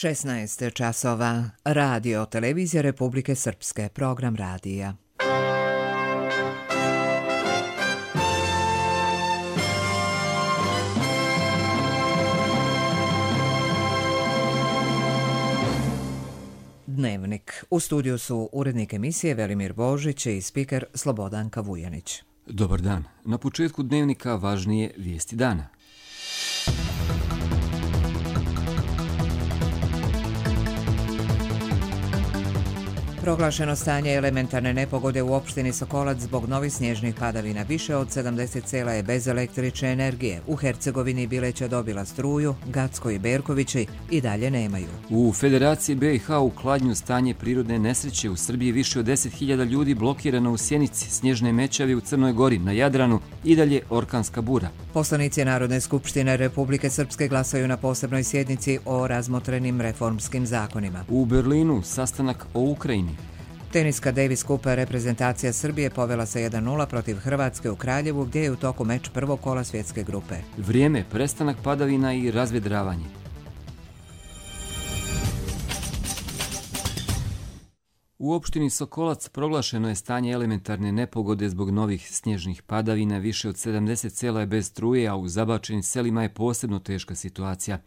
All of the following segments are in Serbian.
16 časova. Radio Televizija Republike Srpske. Program radija. Dnevnik. U studiju su urednik emisije Velimir Božić i spiker Slobodanka Vujanić. Dobar dan. Na početku dnevnika važnije vijesti dana. Proglašeno stanje elementarne nepogode u opštini Sokolac zbog novih snježnih padavina. Više od 70 sela je bez električne energije. U Hercegovini Bileća dobila struju, Gacko i Berkovići i dalje nemaju. U Federaciji BiH u Kladnju stanje prirodne nesreće. U Srbiji više od 10.000 ljudi blokirano u Sjenici, snježne mećavi u Crnoj Gori, na Jadranu i dalje orkanska bura. Poslanici Narodne skupštine Republike Srpske glasaju na posebnoj sjednici o razmotrenim reformskim zakonima. U Berlinu sastanak o Ukrajini. Teniska Davis Cup reprezentacija Srbije povela se 1-0 protiv Hrvatske u Kraljevu, gdje je u toku meč prvog kola svjetske grupe. Vrijeme, prestanak padavina i razvedravanje. U opštini Sokolac proglašeno je stanje elementarne nepogode zbog novih snježnih padavina. Više od 70 sela je bez struje, a u zabačenim selima je posebno teška situacija.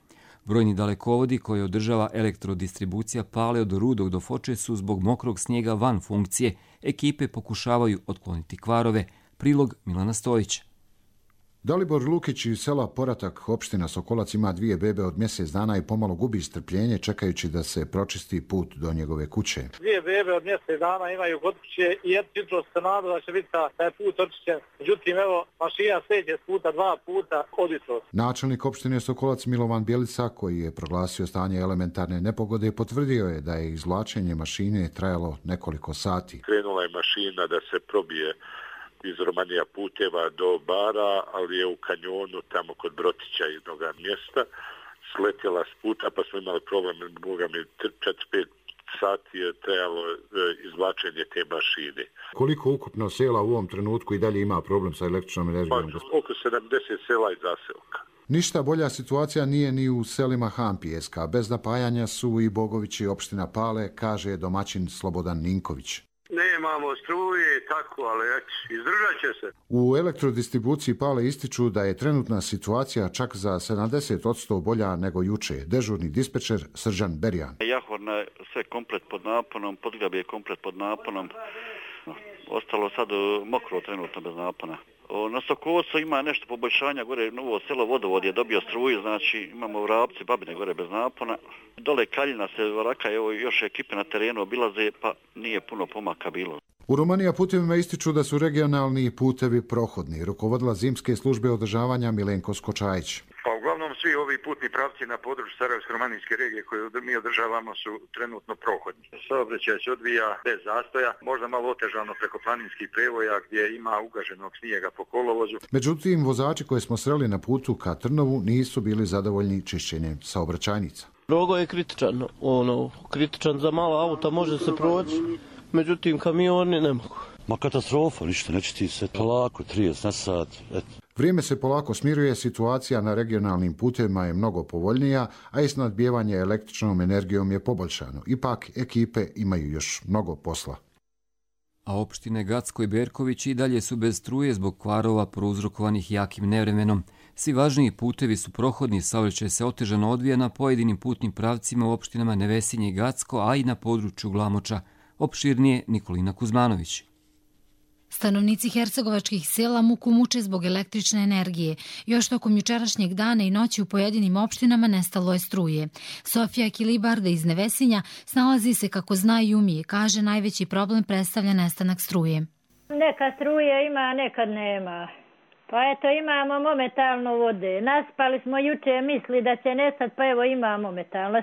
Brojni dalekovodi koje održava elektrodistribucija pale od Rudog do Foče su zbog mokrog snijega van funkcije. Ekipe pokušavaju otkloniti kvarove. Prilog Milana Stojića. Dalibor Lukić iz sela Poratak, opština Sokolac, ima 2 bebe od mjesec dana i pomalo gubi strpljenje čekajući da se pročisti put do njegove kuće. 2 bebe od mjesec dana imaju kod kuće i jutro se nada da će biti taj put očišćen. Međutim, evo, mašina seđe s puta 2 puta od jutros. Načelnik opštine Sokolac Milovan Bjelica, koji je proglasio stanje elementarne nepogode, potvrdio je da je izvlačenje mašine trajalo nekoliko sati. Krenula je mašina da se probije iz Romanija puteva do Bara, ali je u kanjonu tamo kod Brotića jednog mjesta sletjela s puta, pa smo imali problem, boga mi 4-5 sati je trajalo izvlačenje te mašine. Koliko ukupno sela u ovom trenutku i dalje ima problem sa električnom energijom? Oko 70 sela i zaselka. Ništa bolja situacija nije ni u selima Hampijeska. Bez napajanja su i Bogovići opština Pale, kaže domaćin Slobodan Ninković. Nemamo struje, tako, ali izdržat će se. U elektrodistribuciji Pale ističu da je trenutna situacija čak za 70% bolja nego juče. Dežurni dispečer Srđan Berjan. Jahorna je sve komplet pod naponom, Podgrab je komplet pod naponom. Ostalo sad mokro trenutno bez napona. Na Sokolcu ima nešto poboljšanja, gore novo selo Vodovod je dobio struju, znači imamo u Vrapci, Babine gore bez napona. Dole Kaljina se varaka, evo još ekipe na terenu obilaze, pa nije puno pomaka bilo. U Romanija putevima ističu da su regionalni putevi prohodni. Rukovodila zimske službe održavanja Milenko Skočajić. Pa uglavnom svi ovi putni pravci na području Sarajevsko-romanijske regije koje mi održavamo su trenutno prohodni. Saobraćaj se odvija bez zastoja, možda malo otežano preko planinskih prevoja gdje ima ugaženog snijega po kolovozu. Međutim, vozači koje smo sreli na putu ka Trnovu nisu bili zadovoljni čišćenjem saobraćajnica. Drogo je kritičan za mala auta može se proći, međutim kamioni ne mogu. Ma katastrofa, ništa, neće se polako, 30 na sat, Vrijeme se polako smiruje, situacija na regionalnim putevima je mnogo povoljnija, a i snadbijevanje električnom energijom je poboljšano. Ipak, ekipe imaju još mnogo posla. A opštine Gacko i Berković i dalje su bez struje zbog kvarova prouzrokovanih jakim nevremenom. Svi važniji putevi su prohodni, saobraćaj se otežano odvija na pojedinim putnim pravcima u opštinama Nevesinje i Gacko, a i na području Glamoča. Opširnije Nikolina Kuzmanović. Stanovnici hercegovačkih sela muku muče zbog električne energije. Još tokom jučerašnjeg dana i noći u pojedinim opštinama nestalo je struje. Sofija Kilibarda iz Nevesinja snalazi se kako zna i umije. Kaže, najveći problem predstavlja nestanak struje. Neka struje ima, nekad nema. Pa eto, imamo momentalno vode. Naspali smo juče, misli da će nestati, pa evo imamo momentalno.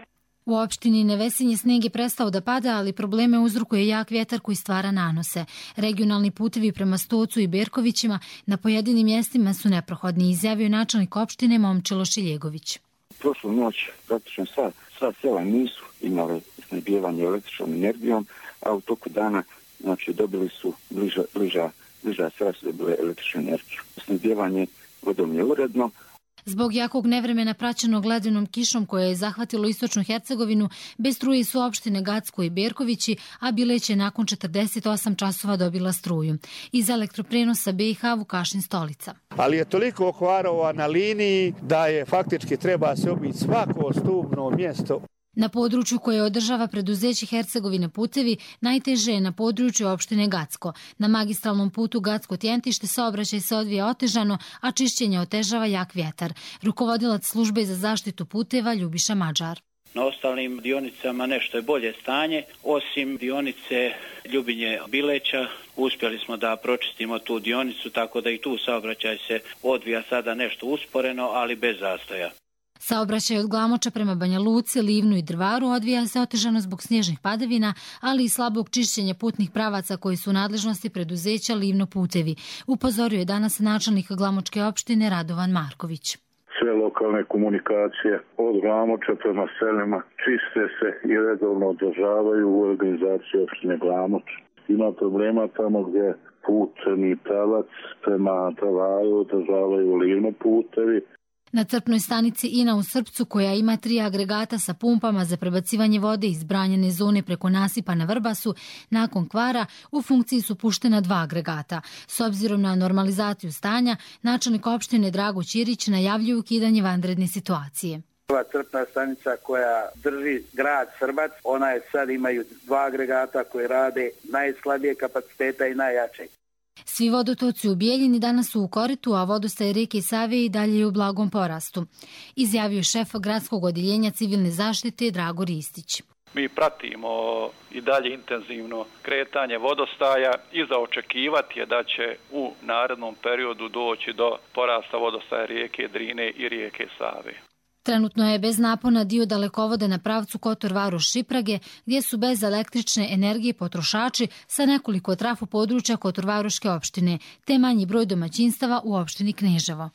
U opštini Nevesinje sneg je prestao da pada, ali probleme uzrokuje jak vjetar koji stvara nanose. Regionalni putevi prema Stocu i Berkovićima na pojedinim mjestima su neprohodni, izjavio načelnik opštine Momčilo Šiljegović. Prošlu noć praktično sva sela nisu imale snabdijevanje električnom energijom, a u toku dana znači, dobili su bliža sela su dobile električnu energiju. Snabdijevanje vodom je uredno. Zbog jakog nevremena praćenog ledenom kišom koja je zahvatilo istočnu Hercegovinu, bez struje su opštine Gacko i Berkovići, a Bileć je nakon 48 časova dobila struju. Iz elektroprenosa BiH Vukašin Stolica. Ali je toliko kvarova na liniji da je faktički treba se obići svako stubno mjesto. Na području koje održava preduzeće Hercegovine putevi, najteže je na području opštine Gacko. Na magistralnom putu Gacko-Tjentište saobraćaj se odvija otežano, a čišćenje otežava jak vjetar. Rukovodilac službe za zaštitu puteva Ljubiša Mađar. Na ostalim dionicama nešto je bolje stanje, osim dionice Ljubinje-Bileća. Uspjeli smo da pročistimo tu dionicu, tako da i tu saobraćaj se odvija sada nešto usporeno, ali bez zastoja. Saobraćaj od Glamoča prema Banja Luci, Livnu i Drvaru odvija se otežano zbog snježnih padavina, ali i slabog čišćenja putnih pravaca koji su u nadležnosti preduzeća Livno putevi. Upozorio je danas načelnik Glamočke opštine Radovan Marković. Sve lokalne komunikacije od Glamoča prema selima čiste se i redovno održavaju u organizaciji opštine Glamoč. Ima problema tamo gdje putni pravac prema Drvaru održavaju Livno putevi. Na crpnoj stanici Ina u Srpcu, koja ima 3 agregata sa pumpama za prebacivanje vode iz branjene zone preko nasipa na Vrbasu, nakon kvara u funkciji su puštena 2 agregata. S obzirom na normalizaciju stanja, načelnik opštine Drago Ćirić najavljuje ukidanje vanredne situacije. Ova crpna stanica koja drži grad Srbac, ona je sad imaju 2 agregata koje rade najslabije kapaciteta i najjače. Svi vodotoci u Bijeljini danas su u koritu, a vodostaj rijeke Save i dalje je u blagom porastu. Izjavio šef gradskog odjeljenja civilne zaštite Drago Ristić. Mi pratimo i dalje intenzivno kretanje vodostaja i za očekivati je da će u narednom periodu doći do porasta vodostaja rijeke Drine i rijeke Save. Trenutno je bez napona dio dalekovoda na pravcu Kotor-Varoš-Šiprage, gdje su bez električne energije potrošači sa nekoliko trafo područja Kotor-Varoške opštine, te manji broj domaćinstava u opštini Kneževo.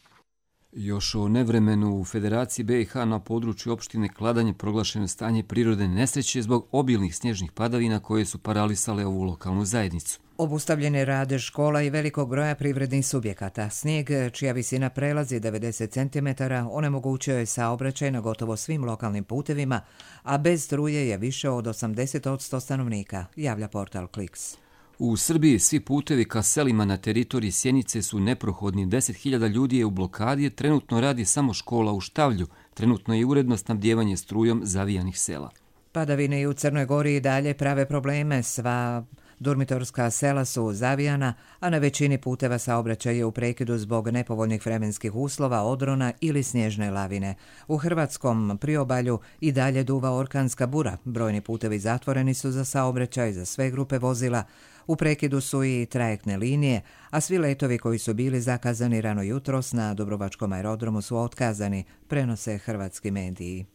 Još o nevremenu u Federaciji BiH na području opštine Kladanje proglašeno stanje prirodne nesreće zbog obilnih snježnih padavina koje su paralisale ovu lokalnu zajednicu. Obustavljen je rad škola i velikog broja privrednih subjekata. Snijeg, čija visina prelazi 90 cm, onemogućio je saobraćaj na gotovo svim lokalnim putevima, a bez struje je više od 80% stanovnika, javlja portal Kliks. U Srbiji svi putevi ka selima na teritoriji Sjenice su neprohodni. 10.000 ljudi je u blokadi, trenutno radi samo škola u Štavlju, trenutno je uredno snabdijevanje strujom zavijanih sela. Padavine i u Crnoj Gori i dalje prave probleme, sva dormitorska sela su zavijana, a na većini puteva saobraćaj je u prekidu zbog nepovoljnih vremenskih uslova, odrona ili snježne lavine. U hrvatskom priobalju i dalje duva orkanska bura. Brojni putevi zatvoreni su za saobraćaj za sve grupe vozila. U prekidu su i trajektne linije, a svi letovi koji su bili zakazani rano jutros na Dubrovačkom aerodromu su otkazani, prenose hrvatski mediji.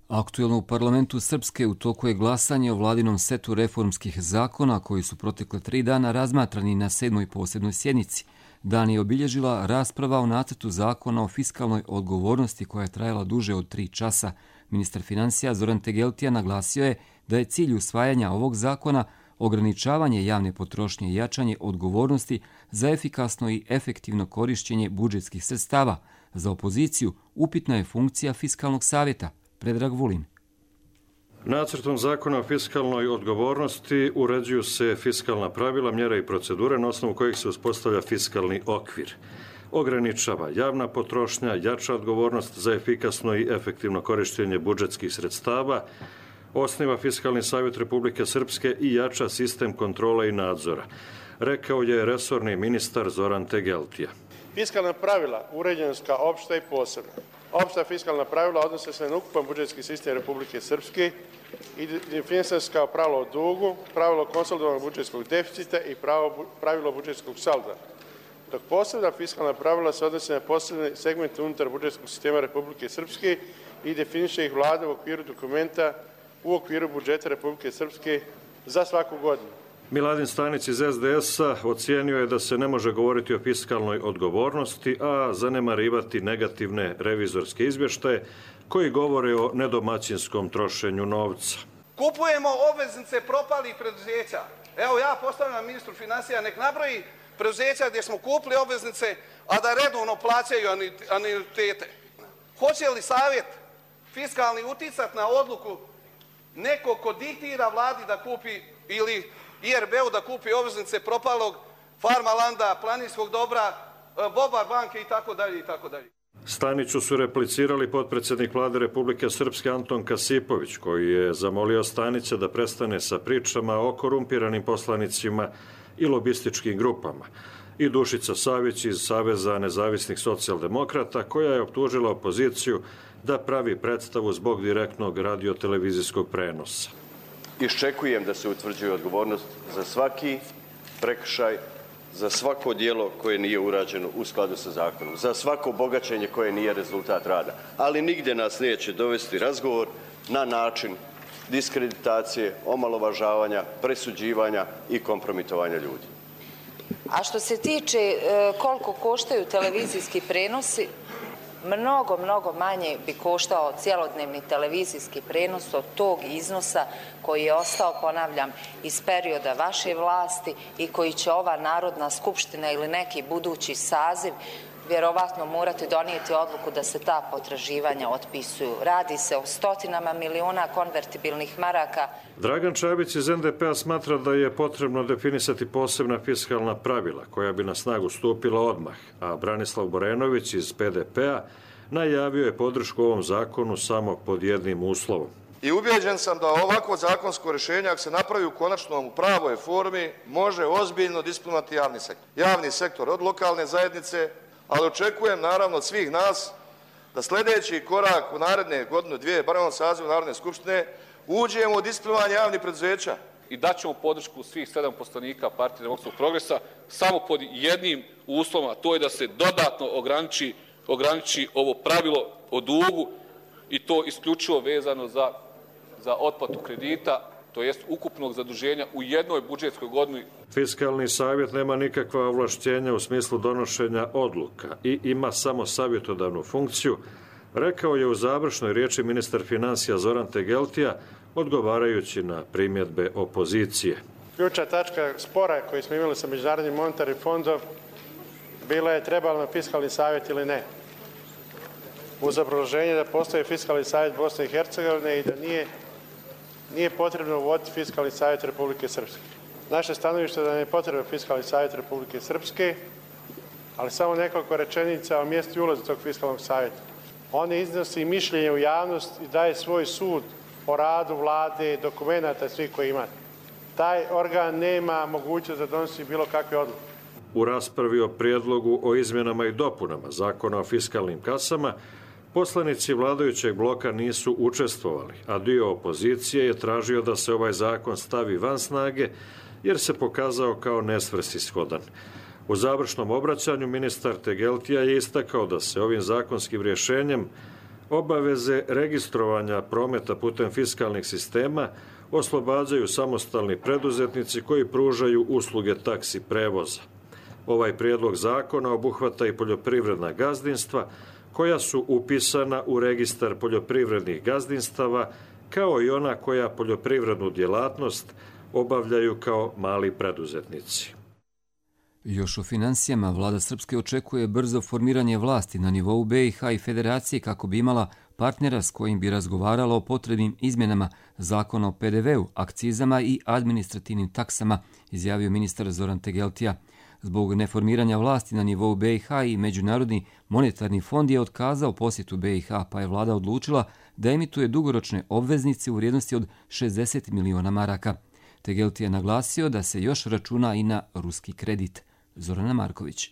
Aktuelno u parlamentu Srpske u toku je glasanje o vladinom setu reformskih zakona koji su protekle 3 dana razmatrani na 7. posebnoj sjednici. Dan je obilježila rasprava o nacrtu zakona o fiskalnoj odgovornosti koja je trajala duže od 3 časa. Ministar financija Zoran Tegeltija naglasio je da je cilj usvajanja ovog zakona ograničavanje javne potrošnje i jačanje odgovornosti za efikasno i efektivno korišćenje budžetskih sredstava. Za opoziciju upitna je funkcija fiskalnog savjeta. Predrag Vulin. Nacrtom zakona o fiskalnoj odgovornosti uređuju se fiskalna pravila, mjere i procedure na osnovu kojih se uspostavlja fiskalni okvir. Ograničava javna potrošnja, jača odgovornost za efikasno i efektivno korištenje budžetskih sredstava, osniva Fiskalni savjet Republike Srpske i jača sistem kontrole i nadzora, rekao je resorni ministar Zoran Tegeltija. Fiskalna pravila uređena su kao opšta i posebna. Opšta fiskalna pravila odnose se na ukupan budžetski sistem Republike Srpske i definisane su kao pravilo o dugu, pravilo konsolidovanog budžetskog deficita i pravilo budžetskog salda. Dok posebna fiskalna pravila se odnose na posebne segmente unutar budžetskog sistema Republike Srpske i definiše ih vlada u okviru dokumenta u okviru budžeta Republike Srpske za svaku godinu. Miladin Stanić iz SDS-a ocijenio je da se ne može govoriti o fiskalnoj odgovornosti, a zanemarivati negativne revizorske izvještaje koji govore o nedomaćinskom trošenju novca. Kupujemo obveznice propalih preduzeća. Evo ja postavljam ministru financija nek nabroji preduzeća gdje smo kupili obveznice, a da redovno plaćaju anuitete. Hoće li savjet fiskalni uticati na odluku neko ko diktira vladi da kupi ili IRB-u da kupi obveznice propalog Farmalanda, Planinskog dobra, Bobar banke itd. itd. Staniću su replicirali potpredsjednik Vlade Republike Srpske Anton Kasipović, koji je zamolio Stanića da prestane sa pričama o korumpiranim poslanicima i lobističkim grupama, i Dušica Savić iz Saveza nezavisnih socijaldemokrata, koja je optužila opoziciju da pravi predstavu zbog direktnog radiotelevizijskog prenosa. Iščekujem da se utvrđuje odgovornost za svaki prekršaj, za svako djelo koje nije urađeno u skladu sa zakonom, za svako bogaćenje koje nije rezultat rada. Ali nigdje nas neće dovesti razgovor na način diskreditacije, omalovažavanja, presuđivanja i kompromitovanja ljudi. A što se tiče koliko koštaju televizijski prenosi, mnogo manje bi koštao cjelodnevni televizijski prenos od tog iznosa koji je ostao, ponavljam, iz perioda vaše vlasti i koji će ova Narodna skupština ili neki budući saziv vjerovatno morati donijeti odluku da se ta potraživanja otpisuju. Radi se o stotinama miliona konvertibilnih maraka. Dragan Čabić iz NDP-a smatra da je potrebno definisati posebna fiskalna pravila koja bi na snagu stupila odmah, a Branislav Borenović iz PDP-a najavio je podršku ovom zakonu samo pod jednim uslovom. I ubijeđen sam da ovako zakonsko rješenje, ako se napravi u konačnom u pravoj formi, može ozbiljno disciplinovati javni sektor. Javni sektor od lokalne zajednice, ali očekujem naravno od svih nas da sljedeći korak u naredne godinu, dvije, bar u sazivu Narodne skupštine, uđemo u disciplinovanje javnih preduzeća. I daćemo podršku svih 7 poslanika Partije demokratskog progresa samo pod jednim uslovom, a to je da se dodatno ograniči ovo pravilo o dugu i to isključivo vezano za otplatu kredita, to jest ukupnog zaduženja u jednoj budžetskoj godini. Fiskalni savjet nema nikakva ovlašćenja u smislu donošenja odluka i ima samo savjetodavnu funkciju, rekao je u završnoj riječi ministar financija Zoran Tegeltija, odgovarajući na primjedbe opozicije. Ključna tačka spora koji smo imali sa Međunarodnim monetarnim fondom bila je trebalo na fiskalni savjet ili ne. Uz obrazloženje da postoji fiskalni savjet Bosne i Hercegovine i da nije potrebno uvoditi fiskalni savjet Republike Srpske. Naše stanovište je da je potrebno fiskalni savjet Republike Srpske, ali samo nekoliko rečenica o mjestu i ulazu tog fiskalnog savjeta. On iznosi mišljenje u javnost i daje svoj sud o radu vlade, dokumenata svih koji imate. Taj organ nema mogućnost da donosi bilo kakve odluke. U raspravi o prijedlogu o izmjenama i dopunama Zakona o fiskalnim kasama, poslanici vladajućeg bloka nisu učestvovali, a dio opozicije je tražio da se ovaj zakon stavi van snage, jer se pokazao kao nesvrsishodan. U završnom obraćanju ministar Tegeltija je istakao da se ovim zakonskim rješenjem obaveze registrovanja prometa putem fiskalnih sistema oslobađaju samostalni preduzetnici koji pružaju usluge taksi prevoza. Ovaj prijedlog zakona obuhvata i poljoprivredna gazdinstva koja su upisana u registar poljoprivrednih gazdinstava, kao i ona koja poljoprivrednu djelatnost obavljaju kao mali preduzetnici. Još o financijama, vlada Srpske očekuje brzo formiranje vlasti na nivou BiH i Federacije kako bi imala partnera s kojim bi razgovarala o potrebnim izmjenama zakona o PDV-u, akcizama i administrativnim taksama, izjavio ministar Zoran Tegeltija. Zbog neformiranja vlasti na nivou BiH i Međunarodni monetarni fond je otkazao posjetu BiH, pa je vlada odlučila da emituje dugoročne obveznice u vrijednosti od 60 miliona maraka. Tegeltija je naglasio da se još računa i na ruski kredit. Zorana Marković.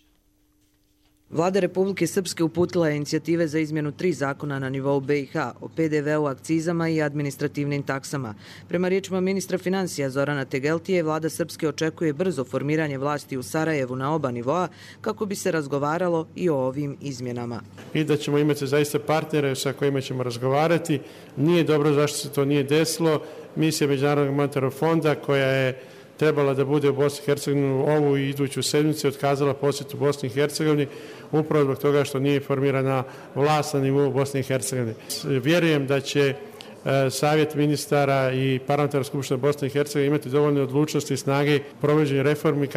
Vlada Republike Srpske uputila je inicijative za izmjenu 3 zakona na nivou BiH o PDV-u, akcizama i administrativnim taksama. Prema riječima ministra financija Zorana Tegeltije, vlada Srpske očekuje brzo formiranje vlasti u Sarajevu na oba nivoa kako bi se razgovaralo i o ovim izmjenama. I da ćemo imati zaista partnere sa kojima ćemo razgovarati. Nije dobro zašto se to nije desilo. Misija Međunarodnog monetarnog fonda koja je trebala da bude u Bosni i Hercegovini ovu i iduću sedmicu, otkazala posjet u Bosni i Hercegovini upravo zbog toga što nije formirana vlast na nivou Bosne i Hercegovine. Vjerujem da će Savjet ministara i Parlamentarna skupština Bosne i Hercegovine imati dovoljne odlučnosti i snage provođenja reformi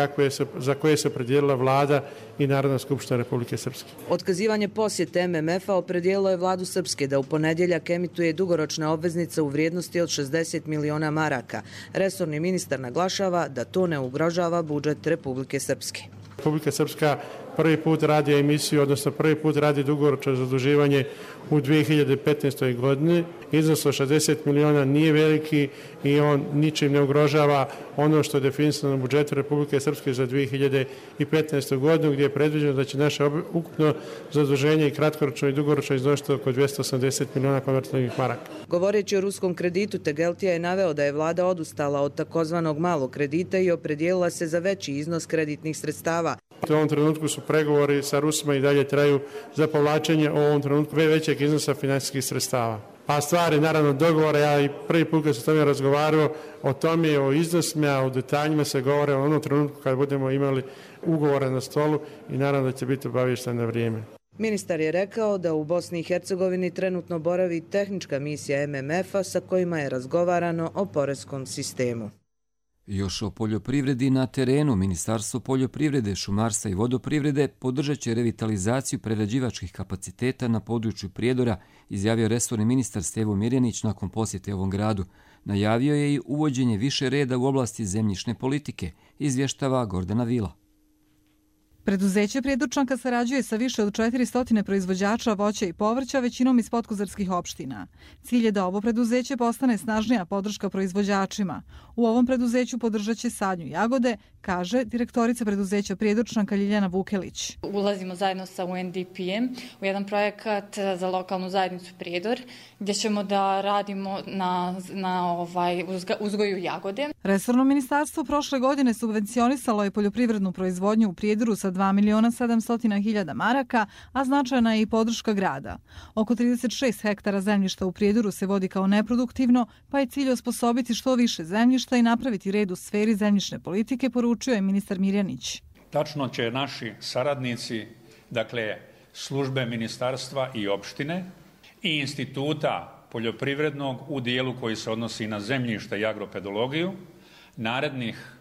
za koje se opredijelila vlada i Narodna skupština Republike Srpske. Otkazivanje posjete MMF-a opredijelilo je vladu Srpske da u ponedjeljak emituje dugoročne obveznice u vrijednosti od 60 miliona maraka. Resorni ministar naglašava da to ne ugrožava budžet Republike Srpske. Republika Srpska prvi put radi emisiju, odnosno prvi put radi dugoročno zaduživanje u 2015. godini. Iznos od 60 miliona nije veliki i on ničim ne ugrožava ono što je definisano u budžetu Republike Srpske za 2015. godinu, gdje je predviđeno da će naše ukupno zaduženje i kratkoročno i dugoročno iznositi oko 280 miliona konvertibilnih maraka. Govoreći o ruskom kreditu, Tegeltija je naveo da je vlada odustala od takozvanog malog kredita i opredijelila se za veći iznos kreditnih sredstava. U ovom trenutku su pregovori sa Rusima i dalje traju za povlačenje u ovom trenutku većeg iznosa finansijskih sredstava. A stvari, naravno, dogovore, ja i prvi put kad sam tome razgovarao, o tome, o iznosima, o detaljima se govore u onom trenutku kad budemo imali ugovore na stolu i naravno da će biti obavješten na vrijeme. Ministar je rekao da u Bosni i Hercegovini trenutno boravi tehnička misija MMF-a sa kojima je razgovarano o poreskom sistemu. Još o poljoprivredi na terenu. Ministarstvo poljoprivrede, šumarstva i vodoprivrede podržat će revitalizaciju prerađivačkih kapaciteta na području Prijedora, izjavio resorni ministar Stevo Mirjanić nakon posjete ovom gradu. Najavio je i uvođenje više reda u oblasti zemljišne politike, izvještava Gordana Vila. Preduzeće Prijedorčanka sarađuje sa više od 400 proizvođača voća i povrća, većinom iz podkozarskih opština. Cilj je da ovo preduzeće postane snažnija podrška proizvođačima. U ovom preduzeću podržat će sadnju jagode, kaže direktorica preduzeća Prijedorčanka Ljiljana Vukelić. Ulazimo zajedno sa UNDP-em u jedan projekat za lokalnu zajednicu Prijedor, gdje ćemo da radimo na uzgoju jagode. Resorno ministarstvo prošle godine subvencionisalo je poljoprivrednu proizvodnju u Prijedoru sa 2.700.000 maraka, a značajna je i podrška grada. Oko 36 hektara zemljišta u Prijedoru se vodi kao neproduktivno, pa je cilj osposobiti što više zemljišta i napraviti red u sferi zemljišne politike, poručio je ministar Mirjanić. Tačno će naši saradnici, dakle službe ministarstva i opštine i instituta poljoprivrednog u dijelu koji se odnosi na zemljište i agropedologiju, narednih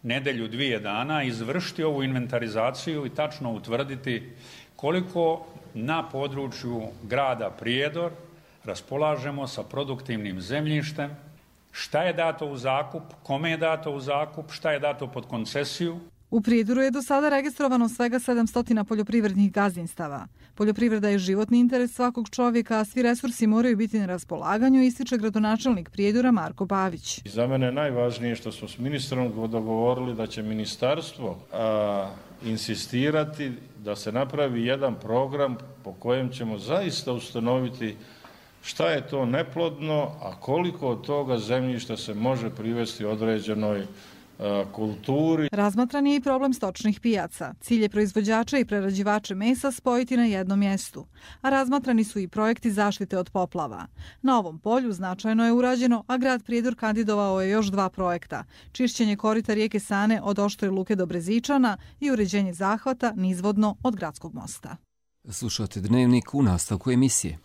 nedelju, 2 dana izvršiti ovu inventarizaciju i tačno utvrditi koliko na području grada Prijedor raspolažemo sa produktivnim zemljištem, šta je dato u zakup, kome je dato u zakup, šta je dato pod koncesiju. U Prijedoru je do sada registrovano svega 700 poljoprivrednih gazdinstava. Poljoprivreda je životni interes svakog čovjeka, a svi resursi moraju biti na raspolaganju, ističe gradonačelnik Prijedora Marko Pavić. Za mene je najvažnije što smo s ministrom dogovorili da će ministarstvo insistirati da se napravi jedan program po kojem ćemo zaista ustanoviti šta je to neplodno, a koliko od toga zemljišta se može privesti određenoj kulturi. Razmatran je i problem stočnih pijaca. Cilj je proizvođača i prerađivače mesa spojiti na jednom mjestu. A razmatrani su i projekti zaštite od poplava. Na ovom polju značajno je urađeno, a grad Prijedor kandidovao je još 2 projekta. Čišćenje korita rijeke Sane od Oštre luke do Brezičana i uređenje zahvata nizvodno od Gradskog mosta. Slušate Dnevnik u nastavku emisije.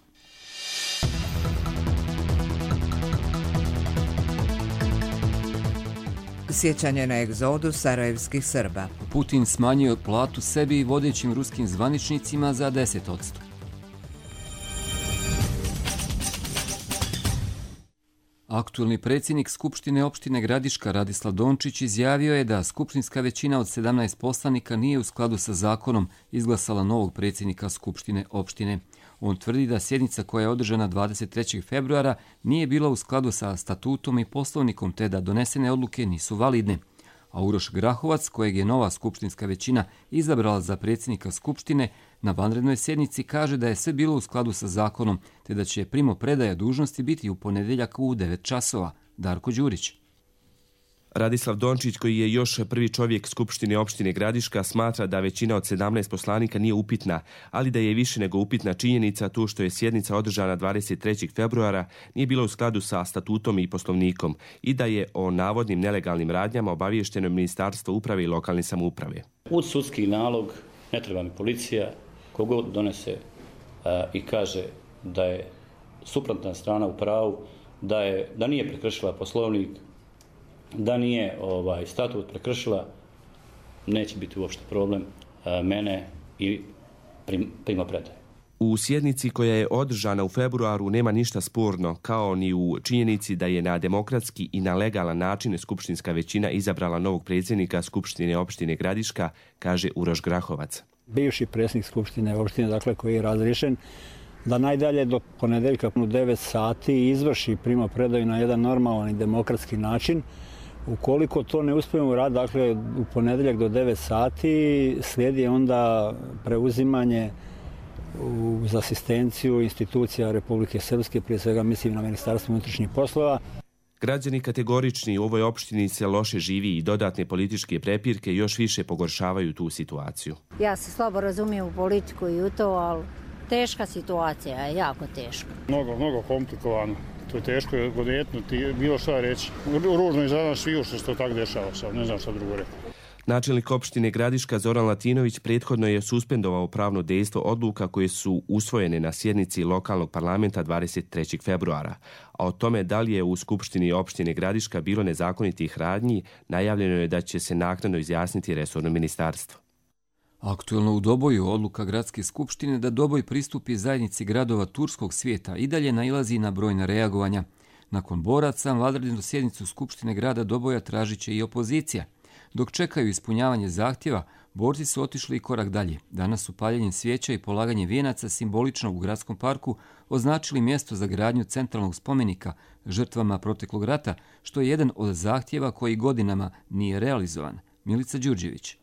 Sjećanje na egzodu sarajevskih Srba. Putin smanjio platu sebi i vodećim ruskim zvaničnicima za 10%. Aktuelni predsjednik Skupštine opštine Gradiška Radislav Dončić izjavio je da skupštinska većina od 17 poslanika nije u skladu sa zakonom izglasala novog predsjednika Skupštine opštine. On tvrdi da sjednica koja je održana 23. februara nije bila u skladu sa statutom i poslovnikom te da donesene odluke nisu validne. A Uroš Grahovac, kojeg je nova skupštinska većina izabrala za predsjednika Skupštine, na vanrednoj sjednici kaže da je sve bilo u skladu sa zakonom te da će primopredaja dužnosti biti u ponedjeljak u 9 časova. Darko Đurić. Radislav Dončić, koji je još prvi čovjek Skupštine opštine Gradiška, smatra da većina od 17 poslanika nije upitna, ali da je više nego upitna činjenica tu što je sjednica održana 23. februara nije bila u skladu sa statutom i poslovnikom i da je o navodnim nelegalnim radnjama obaviješteno Ministarstvo uprave i lokalne samouprave. Uz sudski nalog ne treba mi policija, kogod donese i kaže da je suprotna strana u pravu, da nije prekršila Poslovnik, da nije statut prekršila, neće biti uopšte problem mene i primopredaje. U sjednici koja je održana u februaru nema ništa sporno, kao ni u činjenici da je na demokratski i na legalan način skupštinska većina izabrala novog predsjednika Skupštine opštine Gradiška, kaže Uroš Grahovac. Bivši predsjednik Skupštine opštine, dakle, koji je razriješen, da najdalje do ponedeljka u 9 sati izvrši primopredaju na jedan normalan i demokratski način. Ukoliko to ne uspijemo raditi, dakle, u ponedeljak do 9 sati slijedi onda preuzimanje uz asistenciju institucija Republike Srpske, prije svega mislim na Ministarstvo unutrašnjih poslova. Građani kategorični u ovoj opštini se loše živi i dodatne političke prepirke još više pogoršavaju tu situaciju. Ja se slabo razumijem u politiku i u to, ali teška situacija je, jako teška. Mnogo komplikovano. To je teško odjetnuti, bilo šta reći. Ružno je za nas sviju što se to tako dešava sad, ne znam šta drugo reći. Načelnik opštine Gradiška Zoran Latinović prethodno je suspendovao pravno dejstvo odluka koje su usvojene na sjednici lokalnog parlamenta 23. februara. A o tome da li je u Skupštini opštine Gradiška bilo nezakonitih radnji, najavljeno je da će se naknadno izjasniti resorno ministarstvo. Aktuelno u Doboju odluka Gradske skupštine da Doboj pristupi zajednici gradova turskog svijeta i dalje nailazi na brojna reagovanja. Nakon boraca, vanrednu sjednicu Skupštine grada Doboja tražit će i opozicija. Dok čekaju ispunjavanje zahtjeva, borci su otišli i korak dalje. Danas su paljenjem svijeća i polaganje vijenaca simbolično u gradskom parku označili mjesto za gradnju centralnog spomenika žrtvama proteklog rata, što je jedan od zahtjeva koji godinama nije realizovan. Milica Đurđević.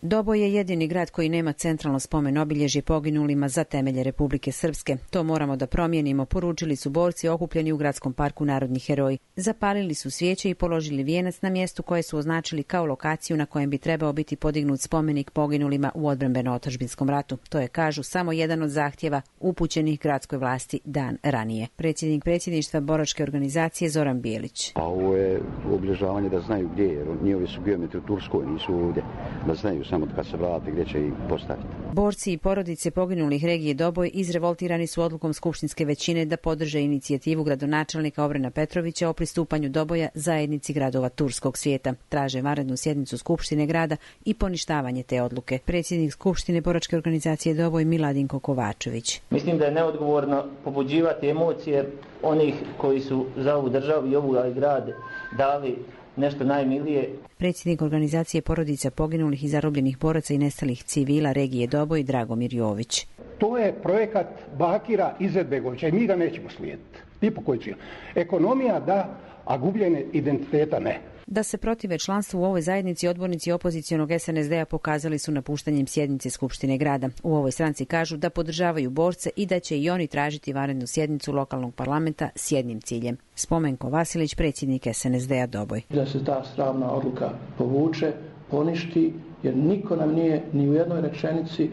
Doboj je jedini grad koji nema centralno spomen obilježje poginulima za temelje Republike Srpske. To moramo da promijenimo, poručili su borci okupljeni u gradskom parku Narodni heroji. Zapalili su svijeće i položili vijenac na mjestu koje su označili kao lokaciju na kojem bi trebao biti podignut spomenik poginulima u odbrambeno-otadžbinskom ratu. To je, kažu, samo jedan od zahtjeva upućenih gradskoj vlasti dan ranije. Predsjednik predsjedništva boračke organizacije Zoran Bijelić. A ovo je obilježavanje da znaju gdje je, jer njihovi su geometri u Turskoj, nisu ovdje, da znaju samo kad se vrati gdje će ih postaviti. Borci i porodice poginulih regije Doboj izrevoltirani su odlukom skupštinske većine da podrže inicijativu gradonačelnika Obrena Petrovića o pristupanju Doboja zajednici gradova turskog svijeta. Traže vanrednu sjednicu Skupštine grada i poništavanje te odluke. Predsjednik Skupštine boračke organizacije Doboj Miladinko Kovačević. Mislim da je neodgovorno pobuđivati emocije onih koji su za ovu državu i ovu grad dali nešto najmilije. Predsjednik organizacije porodica poginulih i zarobljenih boraca i nestalih civila regije Doboj Dragomir Jović. To je projekat Bakira Izetbegovića i mi ga nećemo slijediti. Ni po koji cilj. Ekonomija da, a gubljenje identiteta ne. Da se protive članstvu u ovoj zajednici, odbornici opozicionog SNSD-a pokazali su napuštanjem sjednice Skupštine grada. U ovoj stranci kažu da podržavaju borce i da će i oni tražiti vanrednu sjednicu lokalnog parlamenta s jednim ciljem. Spomenko Vasilić, predsjednik SNSD-a Doboj. Da se ta sramna odluka povuče, poništi, jer niko nam nije ni u jednoj rečenici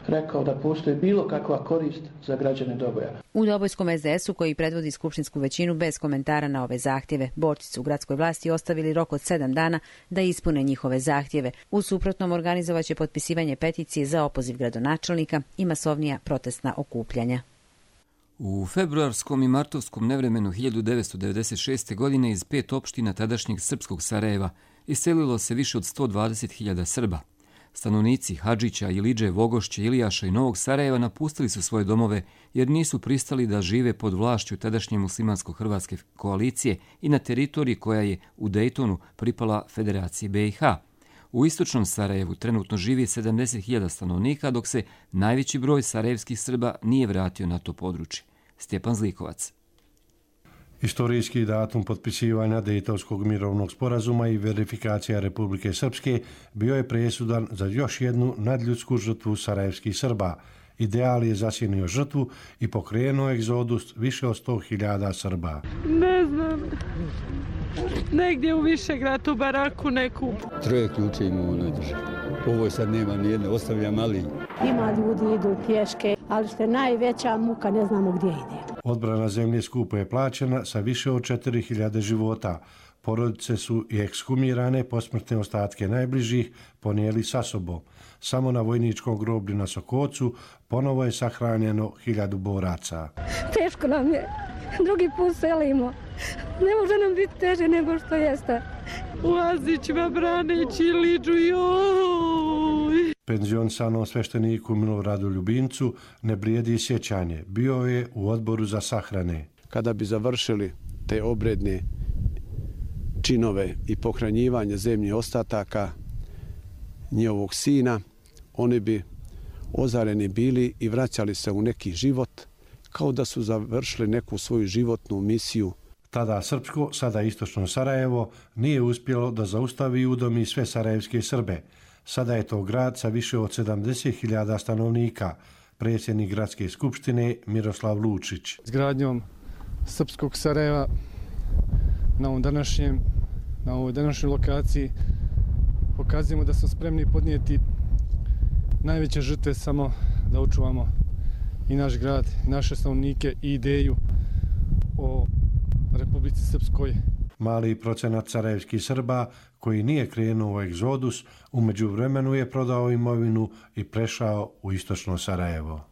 rekao da postoji bilo kakva korist za građane Doboja. U Dobojskom SDS-u, koji predvodi skupštinsku većinu, bez komentara na ove zahtjeve. Borci su u gradskoj vlasti ostavili rok od 7 dana da ispune njihove zahtjeve. U suprotnom organizovaće potpisivanje peticije za opoziv gradonačelnika i masovnija protestna okupljanja. U februarskom i martovskom nevremenu 1996. godine iz 5 opština tadašnjeg srpskog Sarajeva iselilo se više od 120.000 Srba. Stanovnici Hadžića, Ilidže, Vogošće, Ilijaša i Novog Sarajeva napustili su svoje domove jer nisu pristali da žive pod vlašću tadašnje muslimansko-hrvatske koalicije i na teritoriji koja je u Dejtonu pripala Federaciji BiH. U istočnom Sarajevu trenutno živi 70.000 stanovnika, dok se najveći broj sarajevskih Srba nije vratio na to područje. Stjepan Zlikovac. Istorijski datum potpisivanja Dejtonskog mirovnog sporazuma i verifikacija Republike Srpske bio je presudan za još jednu nadljudsku žrtvu sarajevskih Srba. Ideal je zasjenio žrtvu i pokrenuo egzodus više od 100.000 Srba. Ne znam, negdje u Višegradu, baraku neku. 3 ključe imamo na državi. Ovo sad nema nijedne, ostavljam ali. Ima ljudi idu pješke, ali što je najveća muka, ne znamo gdje ide. Odbrana zemlje skupo je plaćena sa više od 4.000 života. Porodice su i ekshumirane, posmrtne ostatke najbližih ponijeli sa sobom. Samo na vojničkom groblju na Sokocu ponovo je sahranjeno 1000 boraca. Teško nam je. drugi put selimo. Ne može nam biti teže nego što jeste. U Azićima braneći Liđu, joj! Penzionisanom svešteniku Miloradu Ljubincu ne blijedi sjećanje. Bio je u odboru za sahrane. Kada bi završili te obredne činove i pohranjivanje zemlje ostataka njihovog sina, oni bi ozareni bili i vraćali se u neki život, kao da su završili neku svoju životnu misiju. Tada srpsko, sada istočno Sarajevo, nije uspjelo da zaustavi i udomi sve sarajevske Srbe. Sada je to grad sa više od 70.000 stanovnika, predsjednik gradske skupštine Miroslav Lučić. Izgradnjom srpskog Sarajeva na ovoj današnjoj lokaciji pokazujemo da smo spremni podnijeti najveće žrtve samo da očuvamo i naš grad, i naše stanovnike i ideju o Republici Srpskoj. Mali procenat sarajevskih Srba koji nije krenuo u egzodus, u međuvremenu je prodao imovinu i prešao u istočno Sarajevo.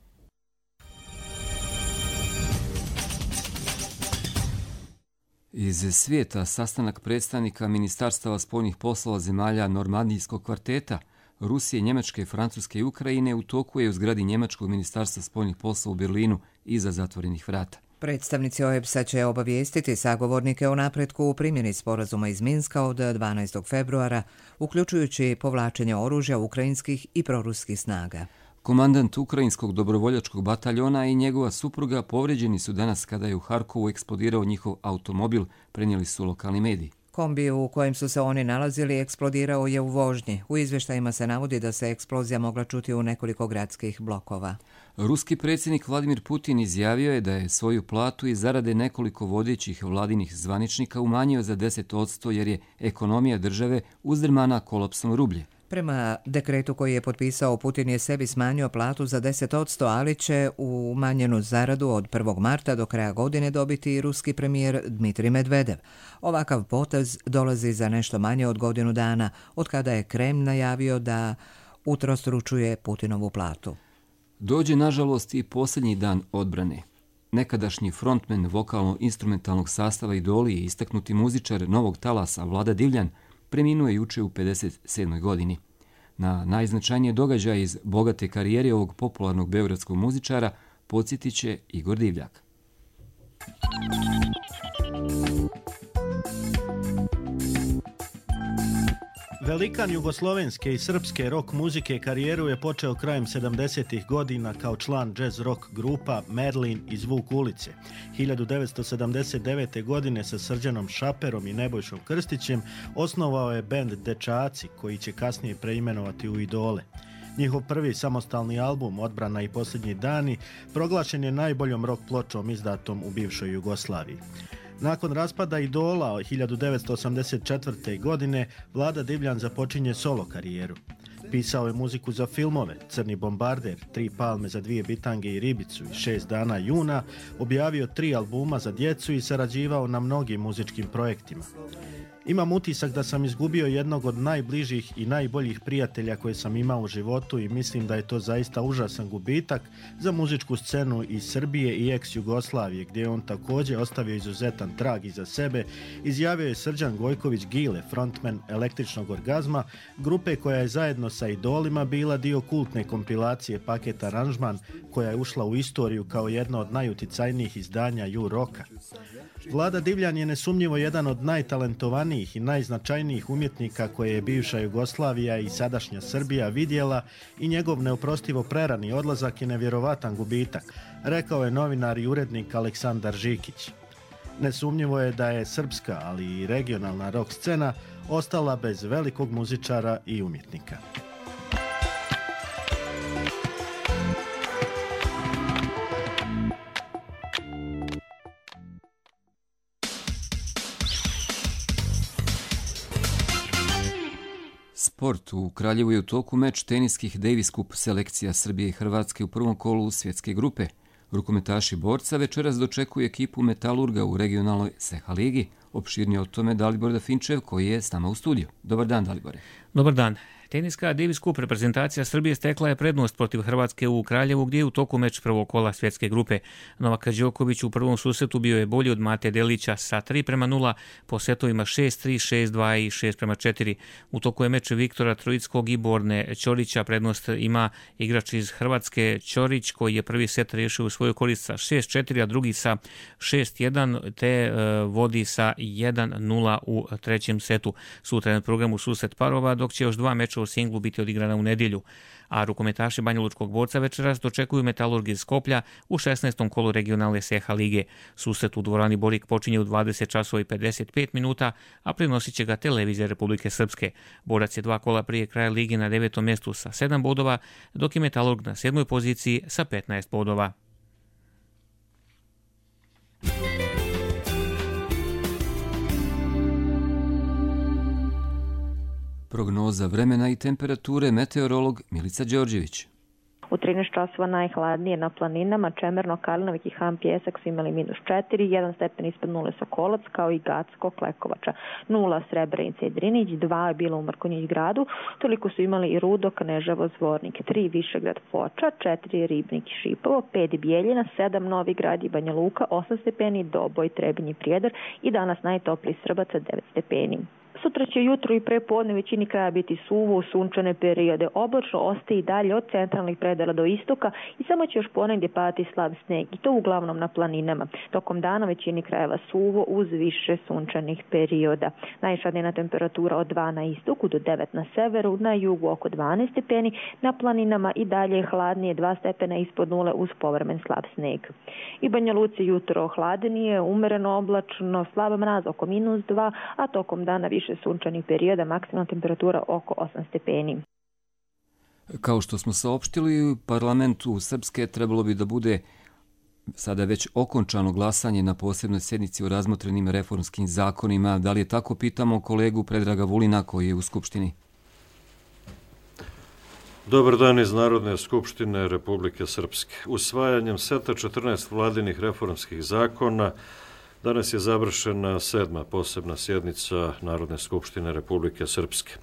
Iz svijeta sastanak predstavnika ministarstava spoljnih poslova zemalja Normandijskog kvarteta Rusije, Njemačke, Francuske i Ukrajine u toku je u zgradi Njemačkog ministarstva spoljnih poslova u Berlinu iza zatvorenih vrata. Predstavnici OEBS-a će obavijestiti sagovornike o napretku u primjeni sporazuma iz Minska od 12. februara, uključujući povlačenje oružja ukrajinskih i proruskih snaga. Komandant ukrajinskog dobrovoljačkog bataljona i njegova supruga povrijeđeni su danas kada je u Harkovu eksplodirao njihov automobil, prenijeli su lokalni mediji. Kombi u kojem su se oni nalazili eksplodirao je u vožnji. U izvještajima se navodi da se eksplozija mogla čuti u nekoliko gradskih blokova. Ruski predsjednik Vladimir Putin izjavio je da je svoju platu i zarade nekoliko vodećih vladinih zvaničnika umanjio za 10% jer je ekonomija države uzdrmana kolapsom rublje. Prema dekretu koji je potpisao, Putin je sebi smanjio platu za 10%, ali će umanjenu zaradu od 1. marta do kraja godine dobiti i ruski premijer Dmitrij Medvedev. Ovakav potez dolazi za nešto manje od godinu dana, od kada je Kreml najavio da utrostručuje Putinovu platu. Dođe, nažalost, i posljednji dan odbrane. Nekadašnji frontmen vokalno-instrumentalnog sastava Idoli i istaknuti muzičar novog talasa Vlada Divljan preminuo je juče u 57. godini. Na najznačajnije događaje iz bogate karijere ovog popularnog beogradskog muzičara podsjetit će Igor Divljak. Velikan jugoslovenske i srpske rock muzike karijeru je počeo krajem 70. godina kao član jazz rock grupa Merlin i Zvuk ulice. 1979. godine sa Srđanom Šaperom i Nebojšom Krstićem osnovao je bend Dečaci, koji će kasnije preimenovati u Idole. Njihov prvi samostalni album Odbrana i posljednji dani proglašen je najboljom rock pločom izdatom u bivšoj Jugoslaviji. Nakon raspada Idola 1984. godine Vlada Divljan započinje solo karijeru. Pisao je muziku za filmove Crni bombarder, 3 palme za 2 bitange i ribicu i 6 dana juna, objavio 3 albuma za djecu i sarađivao na mnogim muzičkim projektima. Imam utisak da sam izgubio jednog od najbližih i najboljih prijatelja koje sam imao u životu i mislim da je to zaista užasan gubitak za muzičku scenu iz Srbije i ex-Jugoslavije, gdje je on također ostavio izuzetan trag iza sebe, izjavio je Srđan Gojković Gile, frontman Električnog orgazma, grupe koja je zajedno sa Idolima bila dio kultne kompilacije Paket aranžman, koja je ušla u istoriju kao jedno od najuticajnijih izdanja ju-roka. Vlada Divljan je nesumnjivo jedan od najtalentovanijih i najznačajnijih umjetnika koje je bivša Jugoslavija i sadašnja Srbija vidjela i njegov neoprostivo prerani odlazak je nevjerovatan gubitak, rekao je novinar i urednik Aleksandar Žikić. Nesumnjivo je da je srpska, ali i regionalna rock scena ostala bez velikog muzičara i umjetnika. Sport. U Kraljevu je u toku meč teniskih Davis Cup selekcija Srbije i Hrvatske u prvom kolu svjetske grupe. Rukometaši borca večeras dočekuju ekipu Metalurga u regionalnoj Seha ligi. Opširnije o tome Dalibor Dafinčev koji je s nama u studiju. Dobar dan, Dalibore. Dobar dan. Teniska Davis Cup reprezentacija Srbije stekla je prednost protiv Hrvatske u Kraljevu, gdje je u toku meč prvog kola svjetske grupe. Novak Đoković u prvom susretu bio je bolji od Mate Delića sa 3:0 po setovima 6-3, 6-2 i 6:4. U toku je meč Viktora Trojickog i Borne Ćorića. Prednost ima igrač iz Hrvatske Ćorić, koji je prvi set riješio u svoju korist sa 6-4, a drugi sa 6-1, te vodi sa 1:0 u trećem setu. Sutra je na programu susret parova, dok će još 2 meča u singlu biti odigrana u nedjelju. A rukometaši Banjalučkog Borca večeras dočekuju Metalurg iz Skoplja u 16. kolu regionalne SEHA lige. Susret u dvorani Borik počinje u 20:55 minuta, a prenosit će ga televizija Republike Srpske. Borac je 2 kola prije kraja lige na 9. mjestu sa 7 bodova, dok je Metalurg na 7. poziciji sa 15 bodova. Prognoza vremena i temperature, meteorolog Milica Đorđević. U 13 časova najhladnije na planinama, Čemerno, Kalinović i Han Pjesak su imali -4, 1 stepen ispod nule Sokolac, kao i Gacko, Klekovača, 0 Srebrenica i Drinić, 2 je bilo u Mrkonjić gradu, toliko su imali i Rudo, Kneževo, Zvornik, 3 Višegrad, Foča, 4 Ribnik i Šipovo, 5 Bijeljina, 7 Novi Grad i Banja Luka, 8 stepeni, Doboj, Trebinj i Prijedor i danas najtopliji Srbaca 9 stepeni. Sutra će jutro i prepodne većini kraja biti suvo, sunčane periode. Oblačno ostaje i dalje od centralnih predela do istoka i samo će još ponegdje padati slab sneg, i to uglavnom na planinama. Tokom dana većini krajeva suvo uz više sunčanih perioda. Najviša dnevna temperatura od 2 na istoku do 9 na severu, na jugu oko 12 stepeni, na planinama i dalje hladnije 2 stepena ispod nule uz povremen slab sneg. I Banja Luci jutro hladnije, umereno oblačno, slab mraz oko -2, a tokom dana više sunčanih perioda, maksimalna temperatura oko 8 stepeni. Kao što smo saopštili, u parlamentu Srpske trebalo bi da bude sada već okončano glasanje na posebnoj sjednici o razmotrenim reformskim zakonima. Da li je tako, pitamo kolegu Predraga Vulina koji je u Skupštini. Dobar dan iz Narodne skupštine Republike Srpske. Usvajanjem seta 14 vladinih reformskih zakona danas je završena 7. posebna sjednica Narodne skupštine Republike Srpske.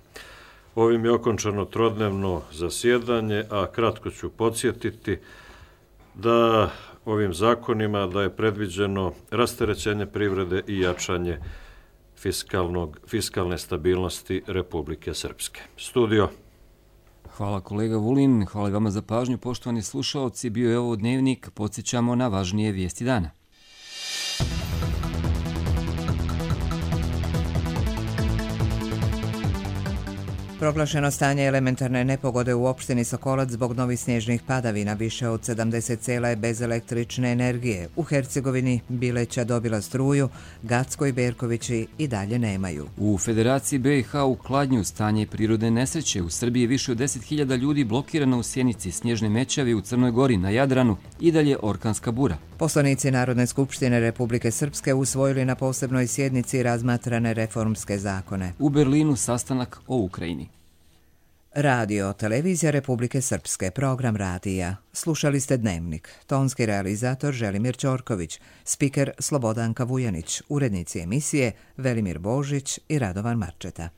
Ovim je okončano trodnevno zasjedanje, a kratko ću podsjetiti da ovim zakonima da je predviđeno rasterećenje privrede i jačanje fiskalne stabilnosti Republike Srpske. Studio. Hvala kolega Vulin, hvala vama za pažnju, poštovani slušaoci. Bio je ovo Dnevnik, podsjećamo na važnije vijesti dana. Proglašeno stanje elementarne nepogode u opštini Sokolac zbog novih snježnih padavina. Više od 70 sela je bez električne energije. U Hercegovini Bileća dobila struju, Gacko i Berkovići i dalje nemaju. U Federaciji BiH u Kladnju stanje prirodne nesreće. U Srbiji više od 10.000 ljudi blokirano u Sjenici, snježne mećavi u Crnoj Gori, na Jadranu i dalje orkanska bura. Poslanici Narodne skupštine Republike Srpske usvojili na posebnoj sjednici razmatrane reformske zakone. U Berlinu sastanak o Ukrajini. Radio, televizija Republike Srpske, program radija. Slušali ste Dnevnik. Tonski realizator Želimir Ćorković, spiker Slobodanka Vujanić, urednici emisije Velimir Božić i Radovan Marčeta.